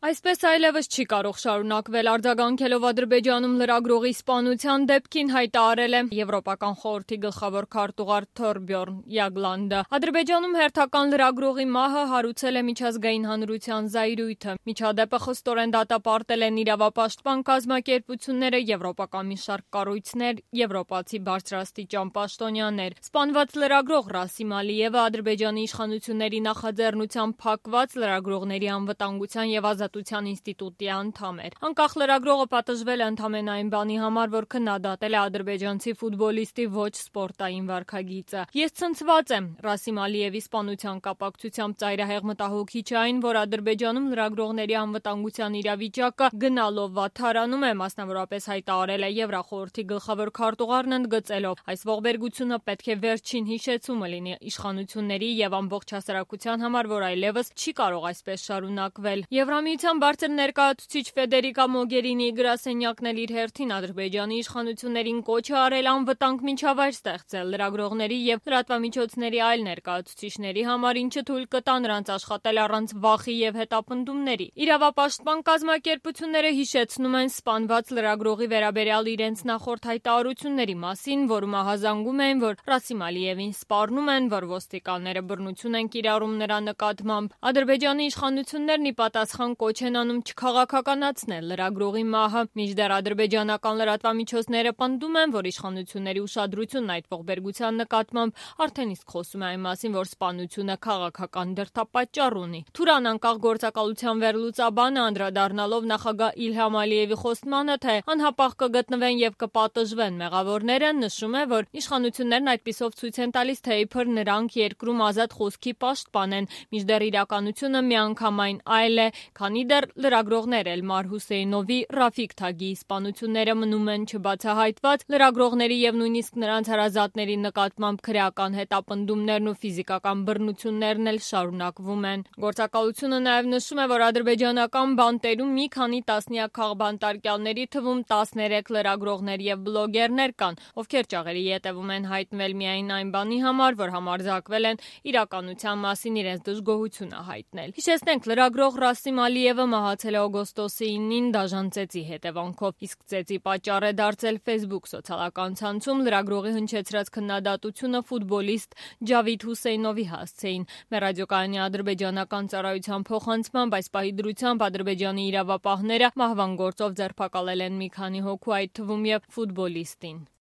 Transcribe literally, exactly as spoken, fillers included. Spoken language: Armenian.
Այսպես այլևս չի կարող շարունակվել, արձագանքելով Ադրբեջանում լրագրողի սպանության դեպքին հայտարարել է Եվրոպական խորհրդի գլխավոր քարտուղար Թորբյորն Յագլանդը։ Ադրբեջանում հերթական լրագրողի մահը հարուցել է միջազգային հանրության զայրույթը։ Միջադեպը խստորեն դատապարտել են իրավապաշտպան կազմակերպությունները, եվրոպական մի շարք կառույցներ, եվրոպացի բարձրաստիճան պաշտոնյաներ։ Սպանված լրագրող Ռասիմ Ալիևը Ադրբեջանի իշխանությունների նախաձեռնությամբ փակված լրագրողների անվտանգության և ազատության ինստիտուտի անդամ էր։ Անկախ լրագրողը պատժվել է ընդամենը այն բանի համար, որ քննադատել է ադրբեջանցի ֆուտբոլիստի ոչ սպորտային վարքագիծը։ Ես ցնցված եմ։ Ռասիմ Ալիևի սպանության կապակցությամբ ծայրահեղ մտահոգիչ է այն, որ Ադրբեջանում լրագրողների անվտանգության իրավիճակը գնալով վատթարանում է, մասնավորապես հայտարարել է Եվրախորհրդի գլխավոր քարտուղարն ընդգծելով. այս ողբերգությունը պետք է վերջին հիշեցումը լինի իշխանությունների և ամբողջ հասարակության համար, որ այլևս չի կարող այսպես շարունակվել։ Եվրամիության բարձր ներկայացուցիչ Ֆեդերիկա Մոգերինիի գրասենյակն էլ իր հերթին Ադրբեջանի իշխանություններին կոչ է արել անվտանգ միջավայր ստեղծել լրագրողների և լրատվամիջոցների այլ ներկայացուցիչների համար, ինչը թույլ կտա նրանց աշխատել առանց վախի և հետապնդումների։ Իրավապաշտպան կազմակերպությունները հիշեցնում են սպանված լրագրողի վերաբերյալ իրենց նախորդ հայտարարությունների մասին, որում ահազանգում էին, որ Ռասիմ Ալիևին սպառնում են, որ ոստիկանները բռնություն են կիրառում նրա նկատմամբ։ Ադրբեջանի իշխանություններն ի պատասխան կոչ են անում չքաղաքականացնել լրագրողի մահը, մինչդեռ ադրբեջանական լրատվամիջոցները պնդում են, որ իշխանությունների ուշադրությունն այդ ողբերգության նկատմամբ արդեն իսկ խոսում է այն մասին, որ սպանությունը քաղաքական դրդապատճառ ունի։ Թուրան անկախ գործակալության վերլուծաբանը անդրադառնալով նախագահ Իլհամ Ալիևի խոստմանը, թե անհապաղ կգտնվեն և կպատժվեն մեղավորները, նշում է, որ իշխանություններն այդպիսով ցույց են տալիս, թե իբր նրանք երկրում ազատ խոսքի պաշտպան են, մինչդեռ իրականությունը միանգամայն այլ է, քանի դեռ լրագրողներ Էլմար Հուսեյնովի, Ռաֆիկ Թագիի սպանությունները մնում են չբացահայտված, լրագրողների և նույնիսկ նրանց հարազատների նկատմամբ քրեական հետապնդումներն ու ֆիզիկական բռնություններն էլ շարունակվում են։ Գործակալությունը նաև նշում է, որ ադրբեջանական բանտերում մի քանի տասնյակ քաղբանտարկյալների թվում տասներեք լրագրողներ և բլոգերներ կան, ովքեր ճաղերի ետևում են հայտնվել միայն այն բանի համար, որ համարձակվել են իրականության մասին իրենց դժգոհությունը հայտնել։ Հիշեցնենք, լրագրող Ռասիմ Ալիևը մահացել է օգոստոսի ինին դաժան ծեծի հետևանքով, իսկ ծեծի պատճառ է դարձել Facebook սոցիալական ցանցում լրագրողի հնչեցրած քննադատությունը ֆուտբոլիստ Ջավիդ Հուսեյնովի հասցեին։ Մեր ռադիոկայանի ադրբեջանական ծառայության փոխանցմամբ այս պահի դրությամբ Ադրբեջանի իրավապահները մահվան գործով ձերբակալել են մի քանի հոգու, այդ թվում և ֆուտբոլիստին։